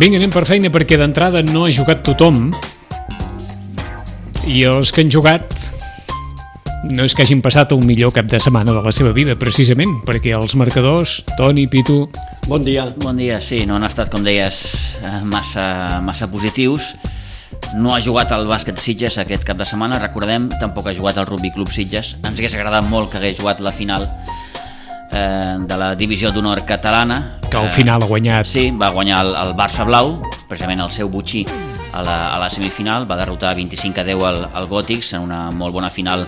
Vinga, anem per feina perquè d'entrada no ha jugat tothom i els que han jugat no és que hagin passat el millor cap de setmana de la seva vida, precisament, perquè els marcadors, Toni, Pitu... Bon dia. Bon dia, sí, no han estat, com deies, massa positius. No ha jugat el bàsquet Sitges aquest cap de setmana, recordem, tampoc ha jugat el Rugby Club Sitges. Ens hagués agradat molt que hagués jugat la final de la divisió d'honor catalana. Que al final ha guanyat. Sí, va guanyar el Barça Blau, precisament el seu butxí a la semifinal, va derrotar 25-10 al Gòtics en una molt bona final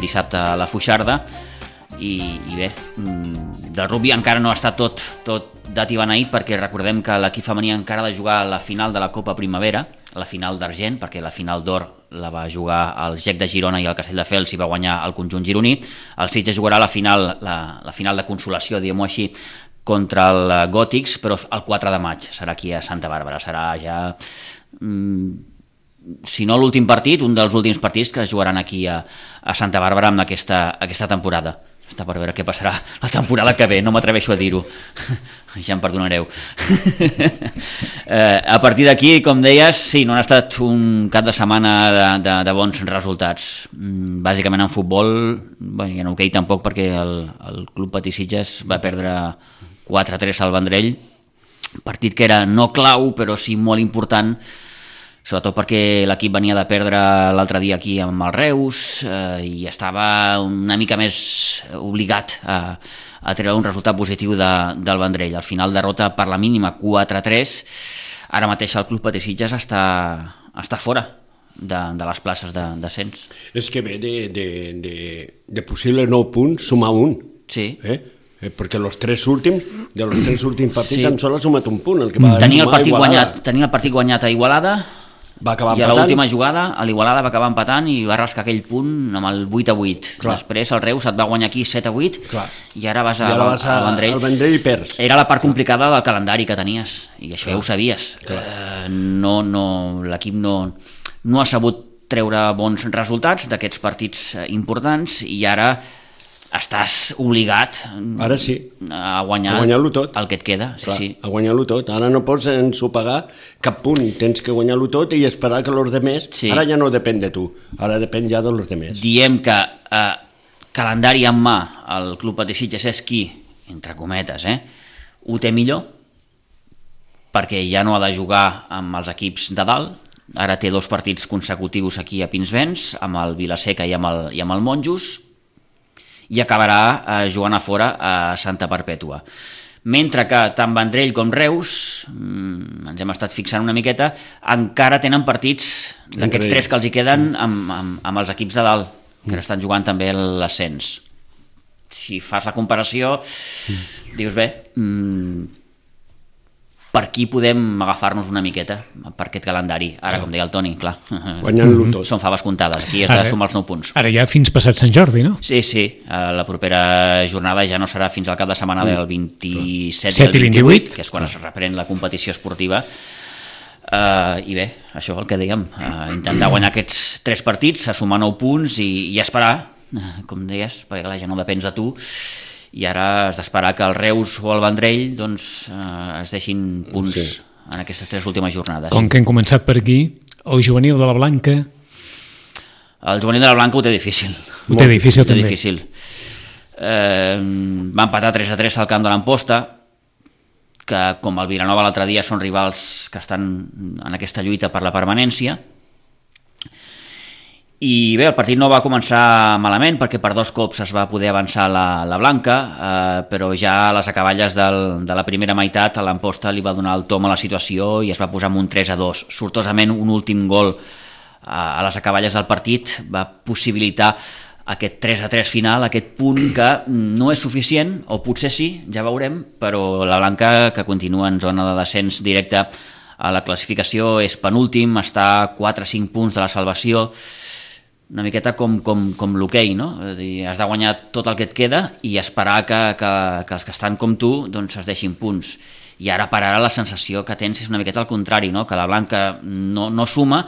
dissabte a la Foixarda. I bé, del rugby encara no està tot dat i beneït, perquè recordem que l'equip femení encara ha de jugar la final de la Copa Primavera, la final d'argent, perquè la final d'or la va jugar el GEC de Girona i el Castelldefels i va guanyar el conjunt gironí. El Sitges jugarà la final de consolació, diguem-ho així, contra el Gòtics, però el 4 de maig serà aquí a Santa Bàrbara. Serà ja, si no l'últim partit, un dels últims partits que es jugaran aquí a Santa Bàrbara amb aquesta temporada. Està per veure què passarà la temporada que ve, no m'atreveixo a dir-ho, ja em perdonareu. A partir d'aquí, com deies, sí, no ha estat un cap de setmana de bons resultats. Bàsicament en futbol, i en hoquei tampoc, perquè el Club Patí Sitges va perdre 4-3 al Vendrell, partit que era no clau, però sí molt important, sobretot perquè l'equip venia de perdre l'altre dia aquí amb el Reus i estava una mica més obligat a treure un resultat positiu del Vendrell. Al final derrota per la mínima 4-3. Ara mateix el Club Patí Sitges està fora de les places d'ascens. És que ve de possible 9 punts sumar un. Sí. Perquè de los tres últims partits sí. tan sols ha sumat un punt. Tenia el partit guanyat a Igualada, va acabar i a empatant. l'última jugada a l'Igualada va acabar empatant i va rascar aquell punt amb el 8-8. Clar. Després el Reus et va guanyar aquí 7-8. Clar. I ara vas al Vendrell. Al Vendrell i perds. Era la part complicada del calendari que tenies i això ja ho sabies. L'equip no ha sabut treure bons resultats d'aquests partits importants i ara estàs obligat ara sí. a guanyar tot. El que et queda. Clar, sí. A guanyar-lo tot. Ara no pots ensopegar cap punt. Tens que guanyar-lo tot i esperar que els demés... Sí. Ara ja no depèn de tu. Ara depèn ja dels demés. Diem que calendari en mà el Club Patí Sitges és qui, entre cometes, ho té millor, perquè ja no ha de jugar amb els equips de dalt. Ara té 2 partits consecutius aquí a Pinsbens, amb el Vilaseca i amb el Monjos, i acabarà jugant a fora a Santa Perpètua. Mentre que tant Vendrell com Reus, ens hem estat fixant una miqueta, encara tenen partits d'aquests 3 que els hi queden amb els equips de dalt, que estan jugant també l'ascens. Si fas la comparació, dius bé, per aquí podem agafar-nos una miqueta per aquest calendari. Ara, com deia el Toni, clar, guanyant-lo tot. són faves comptades, aquí has de sumar els 9 punts. Ara ja fins passat Sant Jordi, no? Sí, la propera jornada ja no serà fins al cap de setmana del 27 7 i el 28, que és quan es reprèn la competició esportiva. I bé, això el que dèiem, intentar guanyar aquests 3 partits, sumar 9 punts i esperar, com deies, perquè la gent no depèn de tu, i ara has d'esperar que el Reus o el Vendrell es deixin punts en aquestes 3 últimes jornades. Com que hem començat per aquí, el juvenil de la Blanca... El juvenil de la Blanca ho té difícil. Ho té difícil, també. Difícil. Va empatar 3-3 al camp de l'Amposta, que com el Vilanova l'altre dia són rivals que estan en aquesta lluita per la permanència. I bé, el partit no va començar malament perquè per 2 cops es va poder avançar la Blanca, però ja a les acaballes de la primera meitat a l'Amposta li va donar el tom a la situació i es va posar amb un 3-2. Sortosament un últim gol a les acaballes del partit va possibilitar aquest 3-3 final, aquest punt que no és suficient, o potser sí, ja veurem, però la Blanca, que continua en zona de descens directe a la classificació, és penúltim, està a 4-5 punts de la salvació, una miqueta com l'hoquei, no? És dir, has de guanyar tot el que et queda i esperar que els que estan com tu doncs es deixin punts. I ara per ara la sensació que tens és una miqueta al contrari, no? Que la Blanca no suma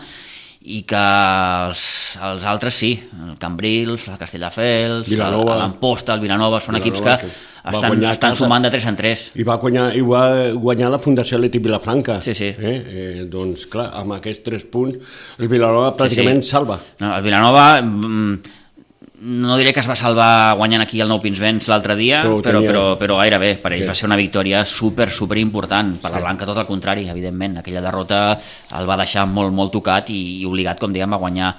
i que els altres sí, el Cambrils, el Castelldefels, l'Amposta, el Vilanova, són equips que estan sumant de 3 en 3. I va guanyar la Fundació Leti Vilafranca. Sí. Doncs clar, amb aquests 3 punts el Vilanova pràcticament salva. No, el Vilanova no diré que es va salvar guanyant aquí el Nou Pinsbens l'altre dia, però gairebé per ells va ser una victòria super important. Per la Blanca tot el contrari, evidentment, aquella derrota el va deixar molt tocat i obligat, com diguem, a guanyar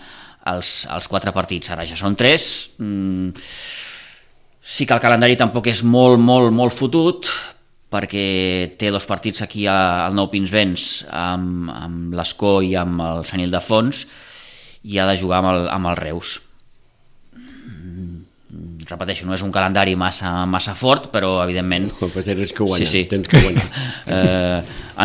els 4 partits. Ara ja són 3. Sí que el calendari tampoc és molt fotut, perquè té 2 partits aquí al Nou Pinsbens amb l'Escó i amb el Sant Ildefons, i ha de jugar amb el Reus. Repeteixo, no és un calendari massa fort, però evidentment... Però tens que guanyar.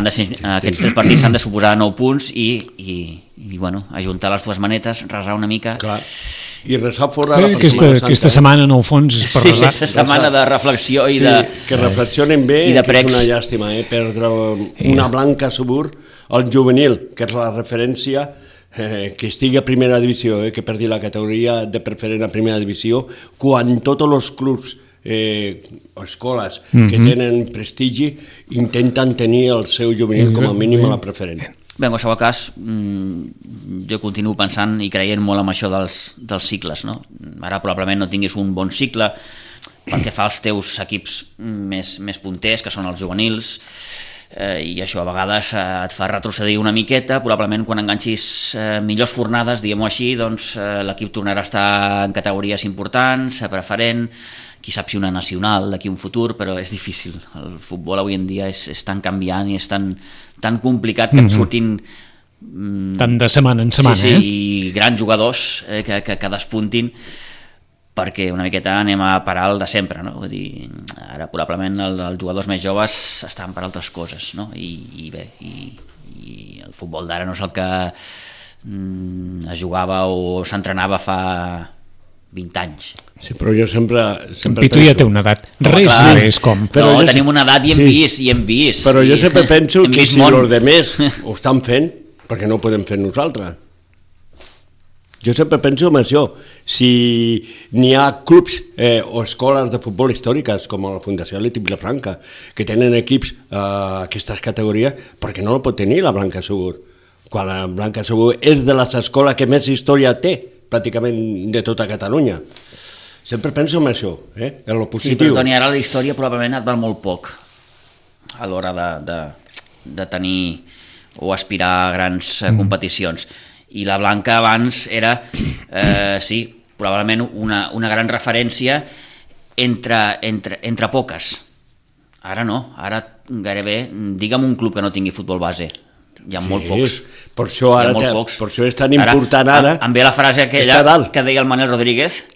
Aquests 3 partits s'han de suposar 9 punts i bueno, ajuntar les 2 manetes, resar una mica... Clar. I resar fora la aquesta setmana, en el fons, és per resar. Sí, aquesta setmana de reflexió i de... que reflexionen bé, i de que és una llàstima, perdre una Blanca Subur, el juvenil, que és la referència... que estigui a primera divisió, que perdi la categoria de preferent a primera divisió, quan tots els clubs o escoles que tenen prestigi intenten tenir el seu juvenil com a mínim a la preferent. Bé, en qualsevol cas, jo continuo pensant i creient molt en això dels cicles, no? Ara probablement no tinguis un bon cicle pel que fa als teus equips més punters, que són els juvenils, i això a vegades et fa retrocedir una miqueta. Probablement quan enganxis millors fornades, diguem-ho així, doncs l'equip tornarà a estar en categories importants, preferent, qui sap si una nacional d'aquí un futur, però és difícil. El futbol avui en dia és tan canviant i és tan complicat que et surtin tant de setmana en setmana, i grans jugadors que despuntin, perquè una miqueta anem a parar el de sempre, no? Vull dir, ara probablement els jugadors més joves estan per altres coses, no? I el futbol d'ara no és el que es jugava o s'entrenava fa 20 anys. Sí, però jo sempre Pitu ja té una edat, res és com... Però tenim una edat i hem vist. Però jo sempre penso que si els demés ho estan fent, perquè no ho podem fer nosaltres. Jo sempre penso en això. Si n'hi ha clubs o escoles de futbol històriques, com la Fundació Leti Vilafranca, que tenen equips a aquestes categories, per què no el pot tenir la Blanca Subur? Quan la Blanca Subur és de les escoles que més història té, pràcticament de tota Catalunya. Sempre penso en això, en lo positiu. Sí, però Toni, ara la història probablement et val molt poc a l'hora de tenir o aspirar a grans competicions. I la Blanca abans era, sí, probablement una gran referència entre poques. Ara no, ara gairebé, digue'm un club que no tingui futbol base. Hi ha molt pocs. Per això és tan important ara. Em ve la frase aquella que deia el Manel Rodríguez,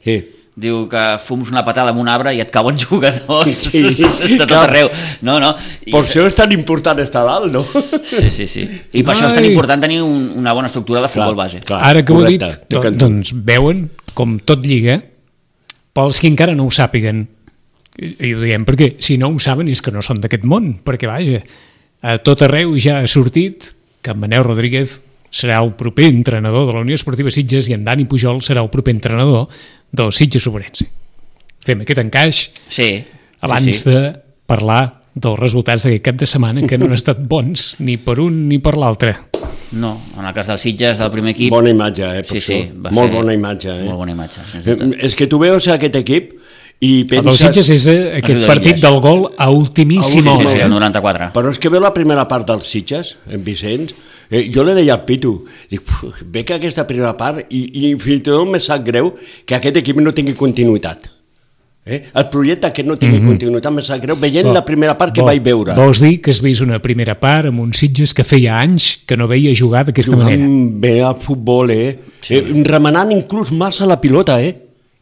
diu que fums una patada amb un arbre i et cauen jugadors de tot arreu. No. Per això és tan important estar dalt, no? Sí. I per això és tan important tenir una bona estructura de futbol base. Ara que ho he dit, doncs veuen com tot lliga, pels que encara no ho sàpiguen, i ho diem perquè si no ho saben és que no són d'aquest món, perquè vaja, a tot arreu ja ha sortit que en Manel Rodríguez serà el proper entrenador de la Unió Esportiva Sitges i en Dani Pujol serà el proper entrenador del Sitges Obrense. Fem aquest encaix abans de parlar dels resultats d'aquest cap de setmana, que no han estat bons ni per un ni per l'altre. No, en el cas del Sitges, del primer equip... Bona imatge, molt bona imatge. Molt bona imatge, és que tu veus aquest equip i penses... El del Sitges és aquest partit del gol a ultimíssima hora. Sí, el 94. Però és que veu la primera part del Sitges, en Vicenç, jo li deia al Pitu, dic, ve que aquesta primera part i fins i tot me sap greu que aquest equip no tingui continuïtat. El projecte que no tingui continuïtat me sap greu veient la primera part que vaig veure. Vols dir que has vist una primera part amb un Sitges que feia anys que no veia jugar d'aquesta manera? Jugant bé al futbol, remenant inclús massa la pilota,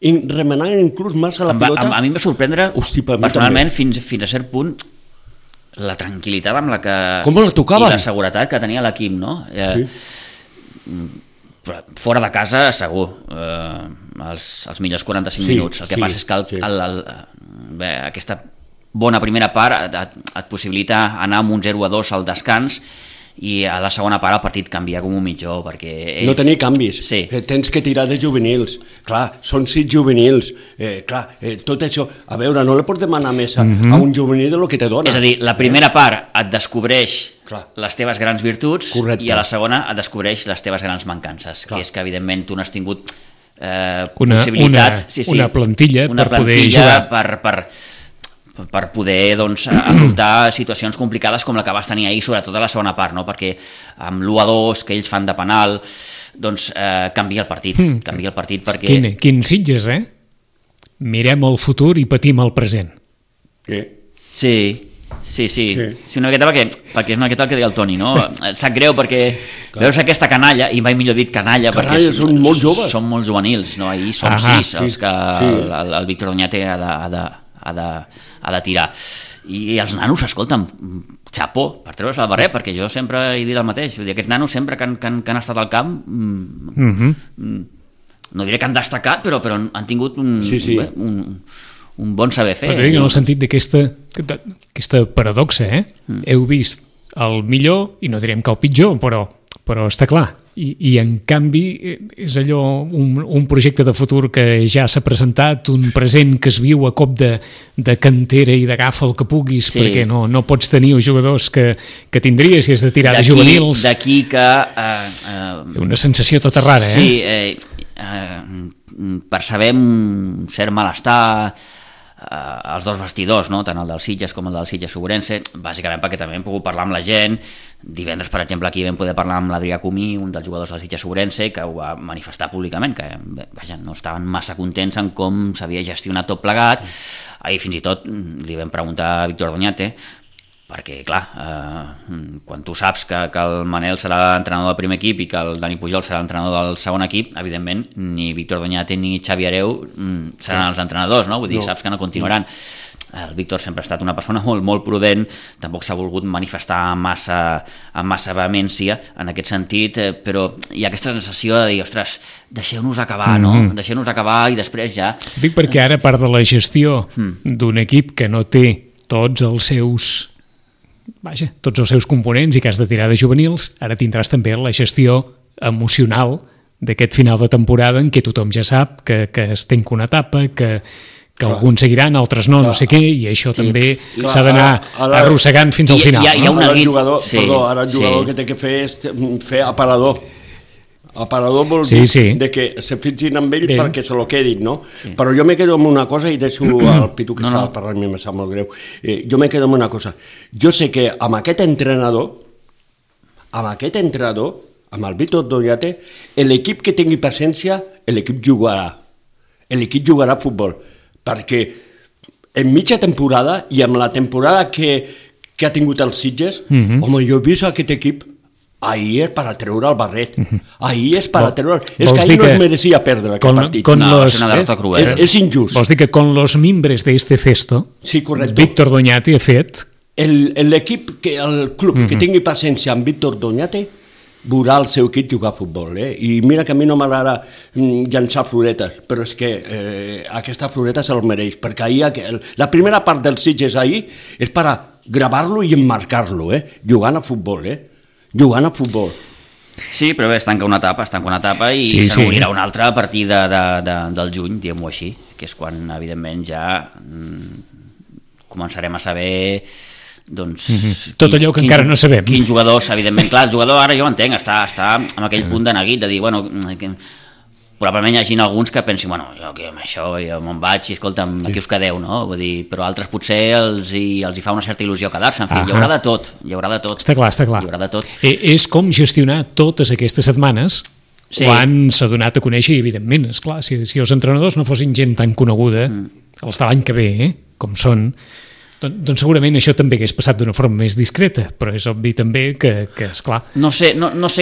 remenant inclús massa la pilota. A mi em va sorprendre, personalment, fins a cert punt, la tranquil·litat amb la que... Com la tocaven? I la seguretat que tenia l'equip, no? Fora de casa, segur, els millors 45 minuts. El que passa és que aquesta bona primera part et possibilita anar amb un 0-2 al descans i a la segona part el partit canvia com un mitjó, perquè ells... No tenir canvis, sí. Tens que tirar de juvenils, clar, són 6 juvenils, tot això, a veure, no li pots demanar més a un juvenil del que te dona. És a dir, la primera part et descobreix les teves grans virtuts. Correcte. I a la segona et descobreix les teves grans mancances, que és que evidentment tu no has tingut possibilitat... Una plantilla per poder jugar. Per poder doncs, afrontar situacions complicades com la que vas tenir ahir, sobretot a la segona part, no? Perquè amb l'1-2 que ells fan de penal doncs canvia el partit, perquè... Quins Sitges, mirem el futur i patim el present. Sí, una miqueta perquè és una miqueta el que deia el Toni, no? Et sap greu perquè veus aquesta canalla, i mai millor dit canalla, perquè són molt joves, són molt juvenils, no? Ahir són 6 els que el Víctor Doñate ha de tirar, i els nanos, escolta'm, xapó per treure's el barret, perquè jo sempre he dit el mateix, vull dir, aquests nanos sempre que han estat al camp no diré que han destacat, però han tingut un bon saber fer. En el sentit d'aquesta paradoxa, heu vist el millor, i no direm que el pitjor, però està clar, i en canvi és allò, un projecte de futur que ja s'ha presentat, un present que es viu a cop de cantera i d'agafa el que puguis, perquè no pots tenir els jugadors que tindries si has de tirar de juvenils. D'aquí que... una sensació tota rara, percebem un cert malestar als dos vestidors, no? Tant el del Sitges com el del Sitges Ourense, bàsicament perquè també hem pogut parlar amb la gent. Divendres, per exemple, aquí vam poder parlar amb l'Adrià Comí, un dels jugadors del Sitges Ourense, que ho va manifestar públicament, que no estaven massa contents en com s'havia gestionat tot plegat. Ahir fins i tot li vam preguntar a Víctor Doñate, perquè clar, quan tu saps que el Manel serà l'entrenador del primer equip i que el Dani Pujol serà l'entrenador del segon equip, evidentment ni Víctor Doñate ni Xavi Hereu seran els entrenadors, no? Vull dir, saps que no continuaran. El Víctor sempre ha estat una persona molt, molt prudent, tampoc s'ha volgut manifestar amb massa vehemència en aquest sentit, però hi ha aquesta sensació de dir, ostres, deixeu-nos acabar, no? Deixeu-nos acabar i després ja... Dic perquè ara, a part de la gestió d'un equip que no té tots els seus components i que has de tirar de juvenils, ara tindràs també la gestió emocional d'aquest final de temporada en què tothom ja sap que es tanca una etapa, que alguns seguiran, altres no sé què, i això també s'ha d'anar arrossegant fins al final. Hi ha un jugador que té que fer és fer aparador. Aparador vol dir que se fixin amb ell perquè se lo quedin, no? Però jo me quedo amb una cosa i deixo el Pitu que estava parlant, em sap molt greu. Jo me quedo amb una cosa. Jo sé que amb aquest entrenador, amb el Víctor Doñate, l'equip que tingui paciència, l'equip jugarà. L'equip jugarà a futbol. Perquè en mitja temporada i amb la temporada que ha tingut els Sitges, home, jo he vist aquest equip. Ahir és per a treure el barret. Ahir és per a treure... És que ahir no es merecia perdre aquest partit. És una derrota cruel. És injust. Vols dir que con los mimbres de este cesto, Víctor Doñate ha fet... L'equip, el club que tingui paciència amb Víctor Doñate veurà el seu equip jugar a futbol. I mira que a mi no m'agrada llançar floretes, però és que aquesta floreta se'l mereix, perquè ahir, la primera part dels Sitges ahir és per a gravar-lo i emmarcar-lo, jugant a futbol, jugant a futbol. Sí, però bé, es tanca una etapa i se n'obrirà una altra a partir del juny, diguem-ho així, que és quan, evidentment, ja començarem a saber tot allò que encara no sabem. Quins jugadors, evidentment, clar, el jugador ara jo ho entenc, està en aquell punt de neguit, de dir, bueno, probablement hi hagi alguns que pensin, bueno, jo amb això me'n vaig i escolta'm, aquí us quedeu, no? Vull dir, però altres potser els hi fa una certa il·lusió quedar-se, en fi, hi haurà de tot. Està clar. Hi haurà de tot. És com gestionar totes aquestes setmanes quan s'ha donat a conèixer, i evidentment, esclar, si els entrenadors no fossin gent tan coneguda, els de l'any que ve, com són, doncs segurament això també hagués passat d'una forma més discreta, però és obvi també que esclar... No sé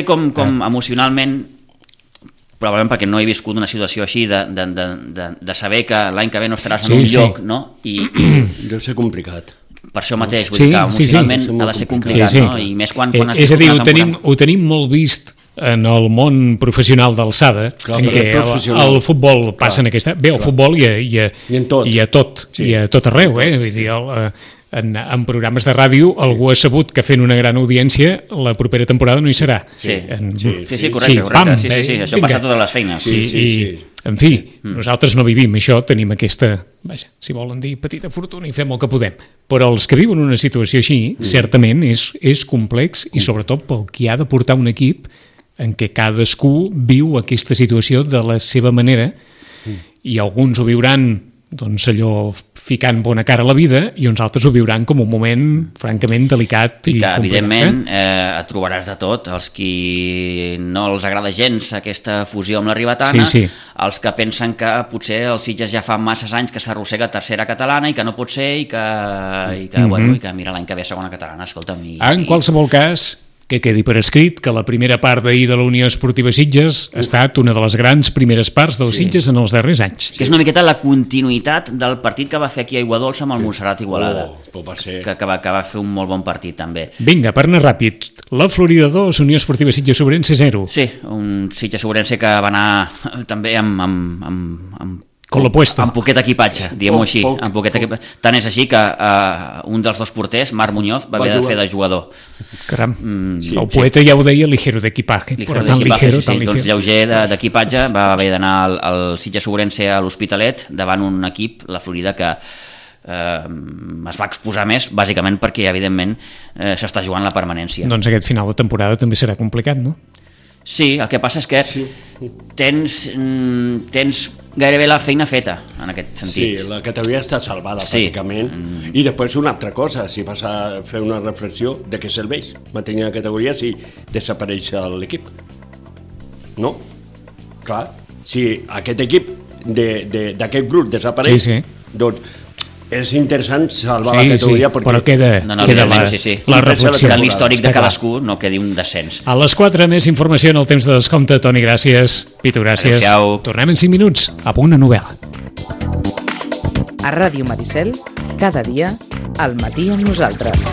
com emocionalment, probablement perquè no he viscut una situació així de saber que l'any que ve no estaràs en un lloc, no? Deu ser complicat. Per això mateix, vull dir que emocionalment ha de ser complicat, no? I més quan has és a dir, ho tenim molt vist en el món professional d'alçada, en què el futbol passa en aquesta... Bé, el futbol i a tot arreu, vull dir, en programes de ràdio algú ha sabut que fent una gran audiència la propera temporada no hi serà. Sí, correcte. Pam, sí, això passa a totes les feines. Sí. En fi, nosaltres no vivim això, tenim aquesta, vaja, si volen dir, petita fortuna i fem el que podem. Però els que viuen una situació així, certament és complex i sobretot pel qui ha de portar un equip en què cadascú viu aquesta situació de la seva manera i alguns ho viuran doncs allò ficant bona cara a la vida i uns altres ho viuran com un moment francament delicat i que evidentment et trobaràs de tot, els qui no els agrada gens aquesta fusió amb la Ribetana, els que pensen que potser el Sitges ja fa masses anys que s'arrossega tercera catalana i que no pot ser i que mira l'any que ve segona catalana, escolta'm. En qualsevol cas, que quedi per escrit que la primera part d'ahir de la Unió Esportiva Sitges ha estat una de les grans primeres parts dels Sitges en els darrers anys. Que és una miqueta la continuïtat del partit que va fer aquí a Aiguadolça amb el Montserrat Igualada, que va fer un molt bon partit també. Vinga, per anar ràpid, la Florida 2, Unió Esportiva Sitges Sobrense 0. Sí, un Sitges Sobrense que va anar també amb con lo puesto. Amb poquet equipatge, diguem-ho així. Tant és així que un dels dos porters, Marc Muñoz, va haver de fer de jugador. Caram, el poeta ja ho deia, ligero d'equipatge. Doncs lleuger d'equipatge, va haver d'anar al Sitges Sobrense a l'Hospitalet davant un equip, la Florida, que es va exposar més, bàsicament perquè, evidentment, s'està jugant la permanència. Doncs aquest final de temporada també serà complicat, no? Sí, el que passa és que tens gairebé la feina feta, en aquest sentit. Sí, la categoria està salvada, pràcticament. I després una altra cosa, si vas a fer una reflexió de què serveix mantenir la categoria si desapareix l'equip. No? Clar, si aquest equip d'aquest grup desapareix, doncs és interessant salvar la categoria perquè... però queda la reflexió. Que l'històric de cadascú no quedi un descens. A les 4 més informació en el temps de descompte. Toni, gràcies. Pitu, gràcies. Adéu-siau. Tornem en 5 minuts a Punt a Novel·la. A Ràdio Maricel, cada dia, al matí amb nosaltres.